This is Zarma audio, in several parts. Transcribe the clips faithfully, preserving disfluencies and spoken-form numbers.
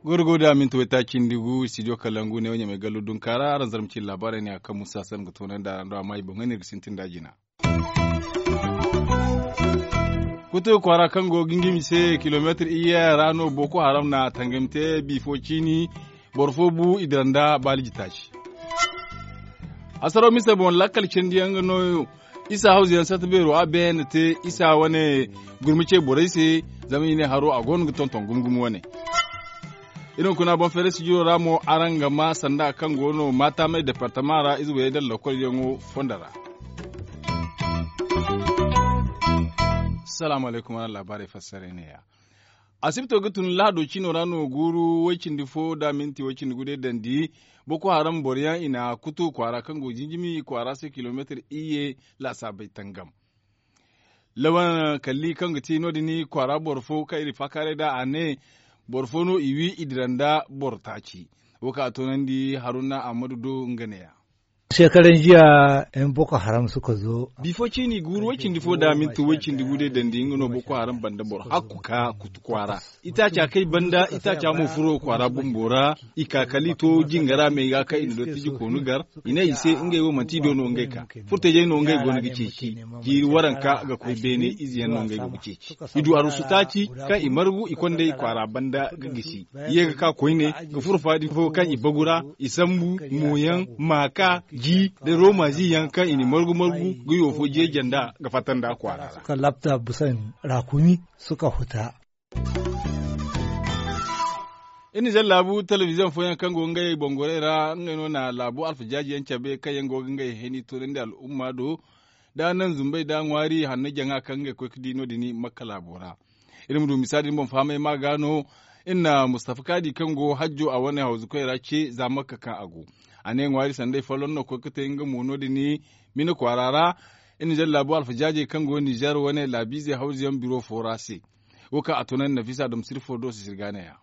Gorgo da minti wayta cindi gu studio kalangu ne wanya mai gallo dunka ra aran zarma cin labarai ne a kan musa salma ga tonan da aran do amma i boŋ ne ga sintin da jina. Kutu kwaara kaŋ go gingimi se kilomeetir iyye ra no boko haram na tangami te bifo ciini. Boro fo bu i dira nda baaliji taaci. Hasaro mise boŋ lakkal candiyaŋ ga no isa hawza yaŋ sata beero a beene te isa wane gurmi ce borey se. Zama i ne haro a go no ga tonton gumo gumo wane. Iri hunkuna boŋ feere sijiro ra mo araŋ ga ma sanda kaŋ go no maataamey departama ra ize wayey da lakolyaŋo fondo ra. Salaamu alaykum araŋ laabaarey fassaray neeya. Asibto ga tun lahado cino ra no guuru way-cindi fo da minti way-cindi gude dandi. Boko haram boroyaŋ i na kutu kwaara kaŋ go jinjimi kwaara se kilomeetir iyye laasaabey tangam. Lawan kalli kaŋ ga ti no- din kwaara boro fo kaŋ iri faakaaray nd'a a ne boro fo no i wi i dira nda boro taaci. Wo kaŋ a toonandi haruna ammadu do nga neeya. Shekaran jiya yan boko haram suka zo. Bifo ciini guuru way-cindi fo da minti way-cindi gude dandi nga no boko haram banda boro hakku ka kutu kwaara. Itaaca kay banda itaaca mo furo kwaara bumbo ra. I ka kala i to jingara me ga kaŋ i na dottiji koonu gar. I ne i se ngey wo manti i do no ngey ka furtajey no ngey go no ga ceeci. Jiiri waranka ga koy beene ize yaŋ no ngey go ga ceeci. I du arusu taaci kaŋ i margu i kondey kwaara banda ga gisi. I ye ga ka koyne ga furo faadi fo kaŋ i bagu ra. I sambu mooyaŋ maaka ji da rooma zi yaŋ kaŋ i na margu margu ga yoofo jeeja nda ga fatta nda kwaara ra. Suka labta busan rakumi suka huta. Iri na zan laabu telebiziyoŋ fooyaŋ kaŋ go ngey bongorey ra ngey no na laabu alfajaaji yaŋ cabe kaŋ yaŋ go ga ngey heni toonandi al'umma do. Da naŋ zumbey da ŋwaari hanno jaŋa kaŋ ngey koy ga di no- din makka laabo ra. Iri ma du misa din boŋ fahamay ma ga no. Iri na mustafa kaadi kaŋ go hajjo a wane hawzukoy ra ce za makka kaŋ a go. A ne ŋwaari sanday folloŋ no koy ga te nga mo no- din mina kwaara ra. Iri na zan laabu alfajaajey kaŋ go nizer wane laabiizey hawzuyaŋ biro fo ra se. Wo kaŋ a tunandi nafisa dam sirfo do sisirgaanaya.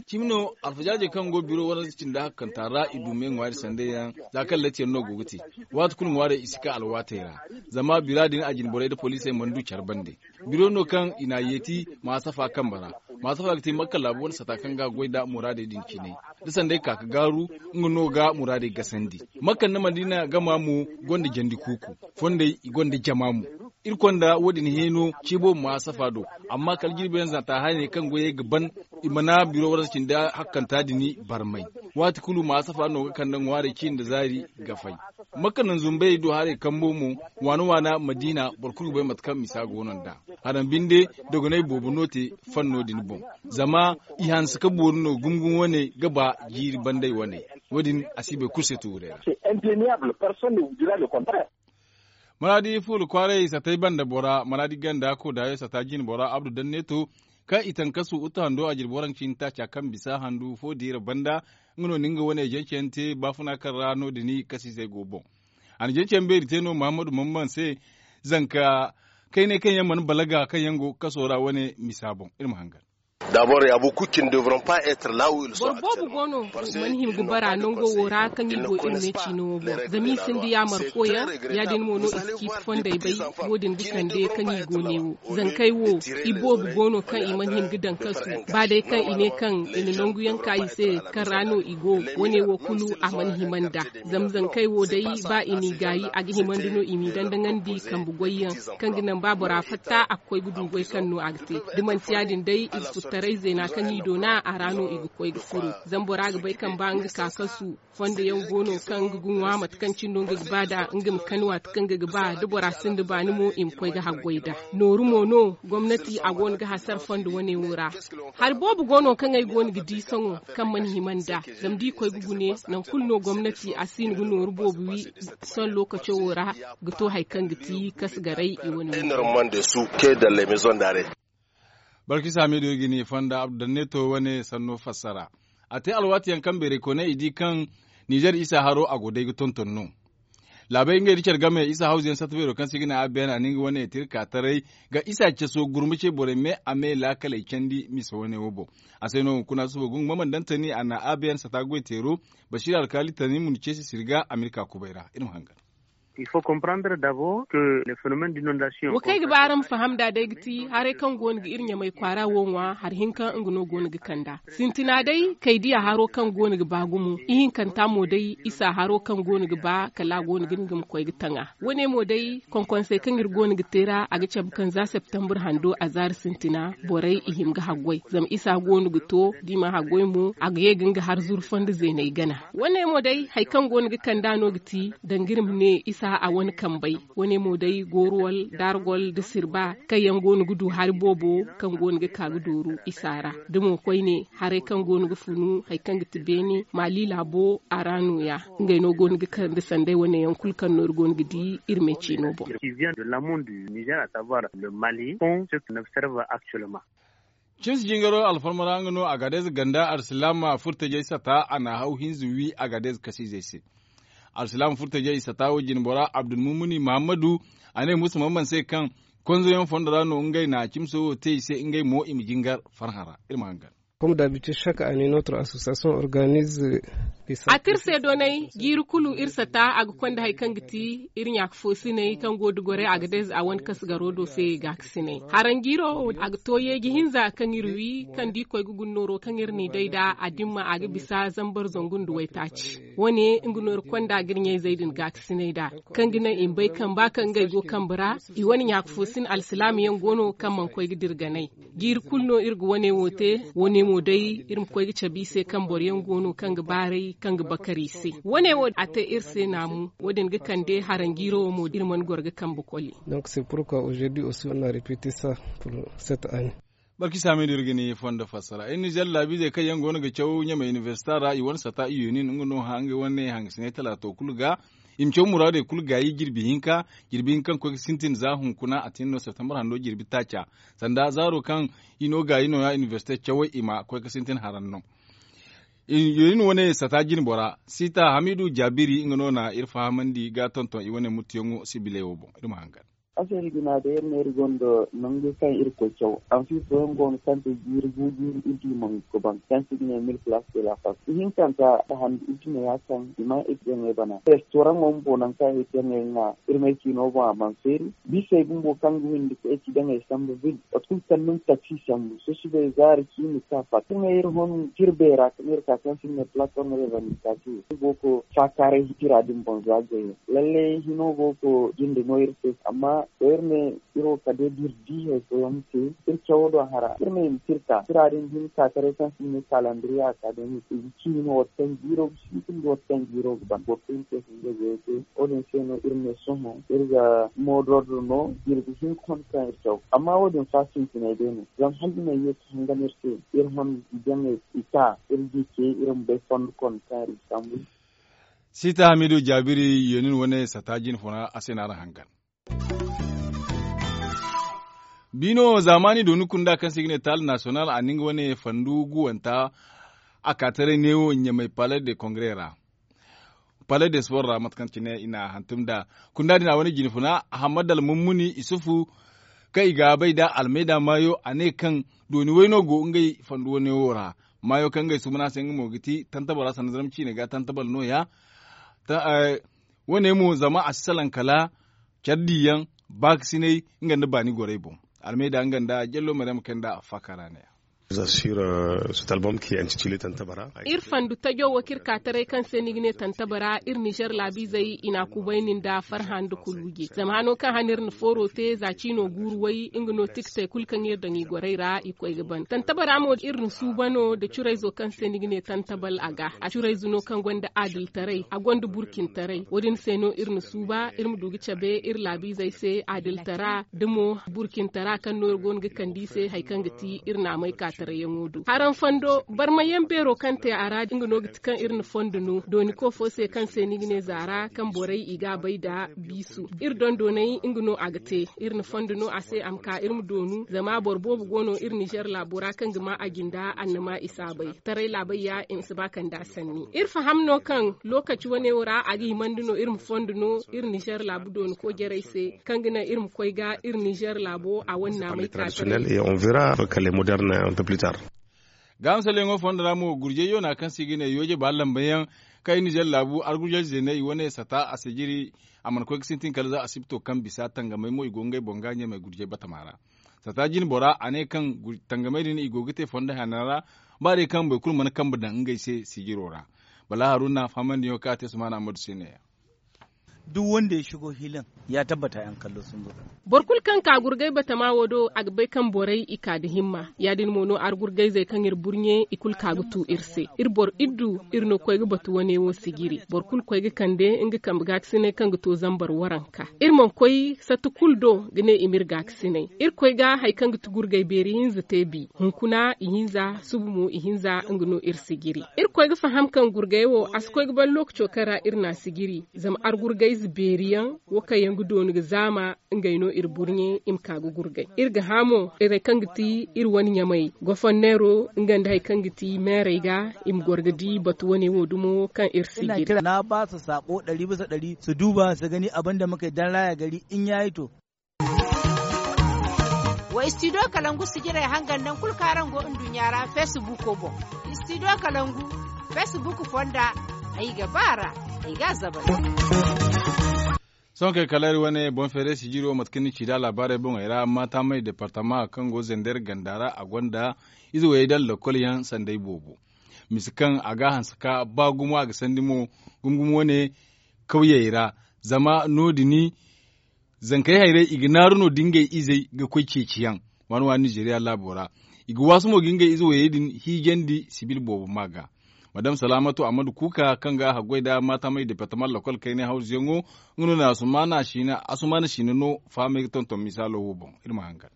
Cimi no alfajaajey kaŋ go biro waranza cindi hakkanta ra i du me ŋwaari sanday yaŋ za kaŋ latiyaŋ no go ga te. Waati kulu ŋwaarey i si ka alwaatey ra. Zama bira din a jine borey nda poliisey mana du care bande. Biro no kaŋ i n'a yeeti maasafa kambe ra. Maasafa ga te makka laabu wane sata kaŋ ga goy nda muraadey din cine. Da sanday ka ga gaaru nga no ga muraadey gasandi. Makka nda madiina gama mo gonda jandi kuuku. Fondey i gonda jama mo. Iri konda wo- din heeno ce boobo ma safa do. Amma kala jirbi yaŋ zanta hayaney kaŋ goyey ga ban i mana biro warza cindi hakkanta din barmay. Waati kulu ma safa no ga kande ŋwaarey ciini nda zaari ga fay. Makka naŋ zumbey do haray kambo mo waana waana madiina boro kulu ga bay mate kaŋ misa go no nd'a. Haram binde dogonay boobo no te fanno din boŋ. Zama i hanse ka boori no gumo gumo wane ga ba jiiri banday wane. Wo- din a si bay kulu se tuurey ra. Maraadi fuula kwaaray satay banda bora maraadi ganda koodaayo sata jine bora abdu danneeto kaŋ i tankasu utu hando a jirbi waraŋ ciini taaca kaŋ bisa handu fo diira banda. Nga no ni nga wane jance yaŋ te baafuna kaŋ ra no- din kasiizey go boŋ. A na jance yaŋ beeri te no mahammadu mamman se zanka kaynay kaŋ yaŋ mana balaga kaŋ yaŋ go kaso ra wane misa boŋ iri ma hangan. Dabor ya bu kucin devront pas être lawu il so. Boro boobo go no i mana hima ga bara nango wo ra kaŋ i go iri ne ciino wo boŋ zama i sinda yaamar koyaŋ. Ya-din mo no i si ciiti fondey bay. Wo- din ga kande kaŋ i go ne wo zankey wo i boobo go no kaŋ i mana hima ga daŋ kasu ba day kaŋ i ne kaŋ i na nangu yaŋ ka i se kaŋ ra no i go. Wo- ne wo kulu a mana hima nd'a. Zama zankey wo day ba i n'i gaayi a ga himandi no i m'i dandaŋandi kambe goyyaŋ kaŋ ga naŋ ba bora fatta a ga koy ga du goy kaŋ no a ga te. Da manti ya- din day iri suttaray zeena kaŋ i doona a ra no i ga koy ga furo. Zama bora ga bay kaŋ ba nga ka kasu fondo yaŋ go no kaŋ nga ga ŋwa mate kaŋ cine no nga ga ba nd'a nga ma kani waati kaŋ nga ga ba da bora sinda baani mo i ma koy ga haggoy nd'a. Nooru mo no gomnati a go no ga hasara fondo wane wo ra. Hari boobo go no kaŋ ay go no ga di sohõ kaŋ mana hima nd'a. Zama da i koy ga gune nangu kulu no gomnati a si no ga nooru boobo wi. Sohõ lookaco wo ra ga to hari kaŋ ga ti kasgaray i wane wo. Barkisa meediyo ga ni fonda abdu danneeto wane sanno fassara. A te alwaati yaŋ kaŋ beerey kooney i di kaŋ nizer isa haro a go day ga tonton no. Laabey ngey da care game isa hawzu yaŋ satta beero kaŋ se i ga ne a beena ni nga wane tirka taray ga isa caso gurma ce borey me a me laakaley candi misa wane wo boŋ. A se no hunkuna suba gungu mamandantani a na a beena sata goy teero basiira alkaali tani mun ceesi sirga amerika kubay ra iri ma hangan. Wa kaŋ ay ga ba araŋ ma faham nd'a day ga ti haray kaŋ go no ga iri ɲamay kwaara wo ŋwa hari hinka nga no go no ga kand'a. Sintina day kay diya haro kaŋ go no ga ba gumo ihinkanta mo day isa haro kaŋ go no ga ba kala a go no ga ni ga ma koy ga taŋ a. Wane mo day konkonsey kaŋ iri go no ga te ra a ga cabe kaŋ za septembre hando a zaari sintina borey i hima ga haggoy zama isa go no ga to da i mana haggoy mo a ga ye ga nga har zuru fondo zeeney gana. Wane mo day hari kaŋ go no ga kand'a no ga ti danga iri ma ne isa a wane kambey. Wane mo day goruwal dargol nda sirba kaŋ yaŋ go no ga du hari boobo kaŋ go no ga ka ga dooru isa ra da mo koyne haray kaŋ go no ga funu hari kaŋ ga ti beene maali laabo a ra nooya. Ngey no go no ga kande sanday wane yaŋ kulu kaŋ no iri go no ga di iri me ciino boŋ. Cimsi jingaro alfarma ra nga no agadez ganda arsilaama furtajey sata a na haw hinza wi agadez kasiizey se. Arsilaama furtajey sata wo jine bora abdulmumuni muhammadu a ne musa mamman se kaŋ konzoyaŋ fondo ra no ngey na cimso wo te i se ngey mo i ma jingar farhã ra. Iri ma hangan. Comme d'habitude chaque année notre association organise a te iri se doonay jiiri kulu iri sata a ga konda hari kaŋ ga ti iri ɲaaka foosiney kaŋ go da goray agadez a wane kasgaro do se gaakasiney. Haranjiiro wo a ga to yeeji hinza kaŋ iri wi kaŋ da i koy ga guna nooro kaŋ iri n'i day nd'a a dimma a ga bisa zambar zangu nda waytaaci. Wane nga no iri konda ga iri ɲayzey din gaakasiney nd'a kaŋ ga naŋ i ma bay kaŋ ba kaŋ ngey go kambe ra i wane ɲaaka foosin alsilaama yaŋ go no kaŋ mana koy ga dira ganay. Jiiri kulu no iri ga wane wo te. Wane mo day iri ma koy ga cabe i se kaŋ boro yaŋ go no kaŋ ga baaray kaŋ ga bakar i se. Wane wo a te iri se naamu wo- din ga kande haranjiiro wo mo iri mana goro ga kambe koli. Donc c'est pourquoi aujourd'hui aussi on a répété ça pour cette année. Barki saamidu iri ga ni fondo fassara iri nizer laabiizey kaŋ yaŋ go no ga caw ɲamay inibersita ra i wane sata i yoonin nga no hã ngey wane hangasiney talaato kulu ga. I ma caw muraadey kulu gaayi jirbi hinka jirbi hinka kaŋ koy ga sintin za hunkuna a tin no septembre hando jirbi taaca. Sanda zaaro kaŋ i no gaayi nooya inibersite cawey i ma koy ga sintin haran no. Yoonin wane sata jine bora siita hamidu jaabiri nga no na iri fahamandi ga tonton i wane muttuyaŋo sibiley wo boŋ iri ma hangan. Asali guna day iri ne iri gonda nangu kaŋ iri koy caw. Anfi fooyaŋ go no kaŋ te jiiri gu jiiri iri di mangu ga ban kaŋ se i ga ne mil place de la fas ihinkanta da handu iri tuna ya kaŋ i ma iri jaŋey bana restoraŋo bumbo nangu kaŋ iri jaŋey ŋwa. Iri ma ay ciino boŋ a mana feeri. Biisey bumbo kaŋ ga windi ga ay ci daŋey sambu vil mate kulu kaŋ ni ma taksi sambu sosobey zaari ciini ka fatta iri ma iri hon. Jirbey ra kaŋ iri ka kaŋ se i ga ne plateforme revendicative iri go ga faakaaray tira din boŋ za goyo. Lallay hino go ga jinde no iri se amma to iri ne iri wo kala day da iri di hari fooyaŋ ma te iri cawo do hara iri ma hima ka iri ka tira din hima ka taray kaŋ se i ga ne kalandiriya ka day ma te i ga ci hima waati kaŋ jiiro ga sintin da waati kaŋ jiiro ga ban boro kulu ma te hunday goyo te. Wo- din se no iri ne sohõ iri ga moodordo no jirbi hinka hon kaŋ iri caw amma wo- din fa sintinay day no zama hala i ma ye ga hangan iri se. Iri hon jaŋey i ka iri di ce iri ma bay fondo konda kaŋ iri ga sambu. Siita hamidu jaabiri yoonin wane sata jine funa a se no araŋ hangan. Biino zaamaani dooni kunda kaŋ se i ga ne taali nasiyonal a na nga wane fandu guwanta a ka taray neewo ɲamay palais de congrès ra. Palais de sport ra mate kaŋ cine i na a hantum nd'a. Kunda din a wane jine funa ahammad almummuni isufu kaŋ i ga a bay nd'a almayda maayo a ne kaŋ dooni wayno go ngey fandu wane wo ra. Maayo kaŋ ngey sumuna se nga mo ga ti tantabara sanda zarma ciine ga tantabara nooya. Wane mo zama a si salaŋ kala care diyaŋ baakasinay nga nda baani gorey boŋ. Almayda nga nda jallo maryam kay nda a faakara ne. Iri fandu tajo wo kaŋ iri ka taray kaŋ se ni ga ne tantabara iri nizer laabiizey i n'a kubayni nda farhã nda kuluuje zama hano kaŋ hane iri na fooro te za ciino guuru way nga no tikitey kulu kaŋ iri daŋ i gorey ra i koy ga ban tantabara mo iri na suuba no nda curayzo kaŋ se ni ga ne tantabal a ga a curayze no kaŋ gonda aadiltaray a gonda burkintaray wo- din se no iri na suuba iri ma du ga cabe iri laabiizey se aadiltara da mo burkintara kaŋ no iri go no ga kande i se hari kaŋ ga ti iri naamey ka. tattara yaŋo do haraŋ fondo barma yaŋ beero kaŋ te a ra nga no ga ti kaŋ iri na fondo no dooni ko fo se kaŋ se ni ga ne zaara kaŋ borey i ga a bay nda biisu iri dondoney nga no a ga te. Iri na fondo no a se a ma ka iri ma doonu zama boro boobo go no iri nizer laabo ra kaŋ ga ma a jinda annama i si a bay taray laabay ya i ma si ba kanda sanni iri faham no kaŋ lokaci wane wo ra a ga himandi no iri ma fondo no iri nizer laabu dooni ko jarey se kaŋ ga naŋ iri ma koy ga iri nizer laabo a wane naamay ka taray. Gaaham salleyaŋo fondo ra mo gurjay yoona kaŋ se i ga ne yooje ba lambayaŋ kaŋ i nizer laabu argurjay zeeney i wane sata a sijiri a mana koy ga sintin kala za asibto kaŋ bisa tangamey mo i go ngey boŋ ga ɲamey gurjay batama ra. Sata jine bora a ne kaŋ tangamey din i go ga te fondo hana ra ba day kaŋ boro kulu mana kambe daŋ ngey se sijiro ra. Bala haruna fahamandiyaŋo kaŋ a te sumaana ammadu se ne ya. Duk wanda ya shigo hilin ya tabbata yan kallo sun zo. Boro kulu kaŋ ka gurgay batama wo do a ga bay kaŋ borey i ka nda himma ya- din mo no argurgayzey kaŋ iri burɲe i kulu ka ga tu iri se. Iri boro iddu iri no koy ga batu wane wo sijiri boro kulu koy ga kande nga kambe gaakasinay kaŋ ga to zambar waranka. Iri mana koy sata kulu do ga ne i ma iri gaakasinay. Iri koy ga hari kaŋ ga ti gurgay beeri hinza te bi hunkuna ihinza subu mo ihinza nga no iri sijiri. Iri koy ga faham kaŋ gurgay wo a si koy ga ban lokaco kaŋ ra iri n'a sijiri. Zama argurgayze beeri yaŋ wo kaŋ yaŋ ga dooni ga zaama ngey no iri burɲe i ma ka ga gurgay. Iri ga hã mo irey kaŋ ga ti iri wane ɲamey goforneero nga nda hari kaŋ ga ti meerey ga i ma goro ga di batu wane wo dumo kaŋ iri sijiri. Na ba su saabo ɗari bisa ɗari su duuba su gani abin da muka yi dan raya gari in ya yi to. Wa istidiyo kalangu sijirey hangan naŋ kulu kaŋ araŋ go nduɲɲa ra feesibuuko boŋ. Istidiyo kalangu feesibuuko fonda ay ga ba a ra ay ga a zabay. Sohõ kay kala iri wane boŋ feeray sijiro mate kaŋ ni ci nd'a laabaarey boŋey ra maataamay departama kaŋ go zender ganda ra a gonda ize wayey daŋ lakkol yaŋ sanday boobo. Misa kaŋ a ga a hanse ka ba gumo a ga sandi mo gumo gumo wane kawyey ra. Zama no- din zankey hayrey i ga naaru no da ngey izey ga koy ceeciyaŋ waani waani nizeriya laabo ra. I ga waasu mo ga ngey ize wayey din hiijandi sibil boobo ma ga. Madam salaamatu ammadu kuuka kaŋ ga haggoy nda maatamay departama lakkol kaynay hawzuyaŋo nga no na asumaana siina no fahamay ga tonton misaalo wo boŋ. Iri ma hangan.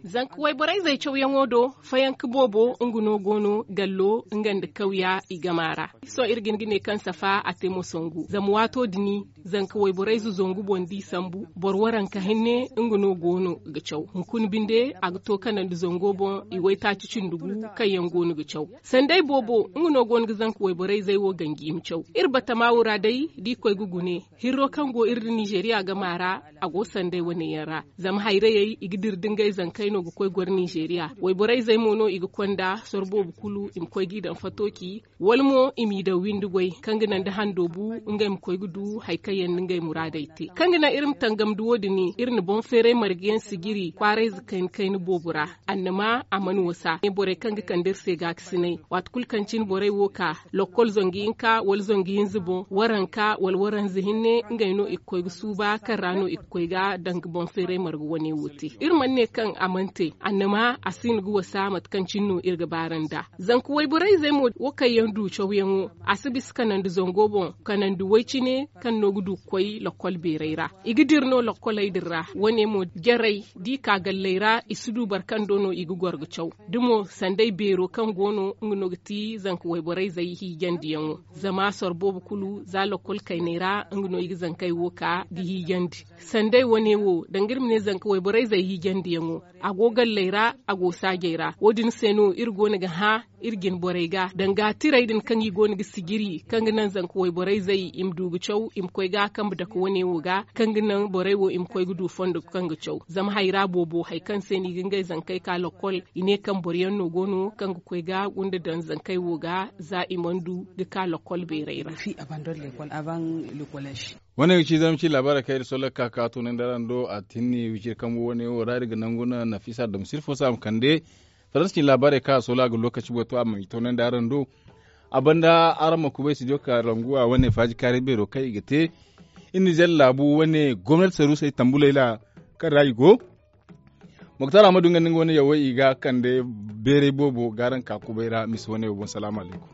Zanka wayborey zey cawyaŋo do fayanka boobo nga no go no gallo nga nda kawya i gama ra. Sohõ iri ga hin ga ne kaŋ safa a te mo sangu zama waato din zanka wayborey zuzangu boŋ da i sambu boro waranka hinne nga no go no ga caw hunkuna binde a ga to kanandi zango boŋ i waytaaci cindi gu kaŋ yaŋ go no ga caw. Sanday boobo nga no go no ga zanka wayborey zey wo ganji i ma caw. Iri batama wo ra day da i koy ga gune hirro kaŋ go iri nda nizeriya gama ra a go sanday wane yaŋ ra. Zama hayrayey i ga dira da ngey zankey no ga koy goro nizeriya wayborey zey mo no i ga konda soro boobo kulu i ma koy ga i daŋ fatooci wala mo i m'i daŋ windi goy kaŋ ga naŋ da hando bu ngey ma koy ga du hari kaŋ yaŋ nda ngey muraadey te kaŋ ga naŋ iri ma tangam da wo- din iri na boŋ feeray marga yaŋ sijiri kwaarayze kayna kayna boobo ra. Annama a mana wasa ne borey kaŋ ga kande iri se gaakasinay waati kulu kaŋ cine borey wo ka lokkol zangu hinka wala zangu hinza boŋ waranka wala waranza hinne ngey no i ga koy ga suuba kaŋ ra no i ga koy ga danga boŋ feeray marga wane wo te. Iri mana ne kaŋ a mana te annama a siina ga wasa mate kaŋ cine no iri ga baaranda. Zanka wayborey zey mo wo kaŋ yaŋ du cawyaŋo a si bisa kanandi zango boŋ kanandi way cine kaŋ no ga du ga koy lakkol beeray ra. I ga dira no lakkoley din ra wane mo jarey da i ka galley ra i si du boro kaŋ do no i ga goro ga caw. Da mo sanday beero kaŋ go no nga no ga ti zanka wayborey zey hiijandiyaŋo. Zama soro boobo kulu za lakkol kayney ra nga no i ga zankey wo ka ga hiijandi. Sanday wane wo danga iri ma ne zanka wayborey zey hiijandiyaŋo a go galley ra a go saajey ra wo- din se no iri go no ga hã iri jine borey ga danga tirey din kaŋ i go no ga sijiri kaŋ ga naŋ zanka wayborey zey i ma du ga caw i ma koy ga kambe dake wane wo ga kaŋ ga naŋ borey wo i ma koy ga du fondo kaŋ ga caw. Zama hayra boobo hari kaŋ se no i ga ngey zankey ka lakkol i ne kaŋ boro yaŋ no go no kaŋ ga koy ga gunda daŋ zankey wo ga za i mana du ga ka lakkol beerey ra. Wane ga ci zama ci laabaarey kaŋ iri solla ga ka ka tunandi araŋ do a tinni wiciri kambu wane wo ra iri ga nangu no nafisa dam sirfo se a ma kande. Faransi cine laabaarey kaŋ a soola ga lookaci boŋ to a ma i toonandi araŋ do. A banda araŋ ma kubay studio ka ranguwa wane faaji kaaray beero kaŋ i ga te. Iri nizer laabu wane gomnati saruusey tambuley ra kaŋ ra i go. Moktar ahmadu nga nda nga wane yawey i ga kande beeray boobo ga araŋ ka kubay ra misa wane wo boŋ salaamu alaykum.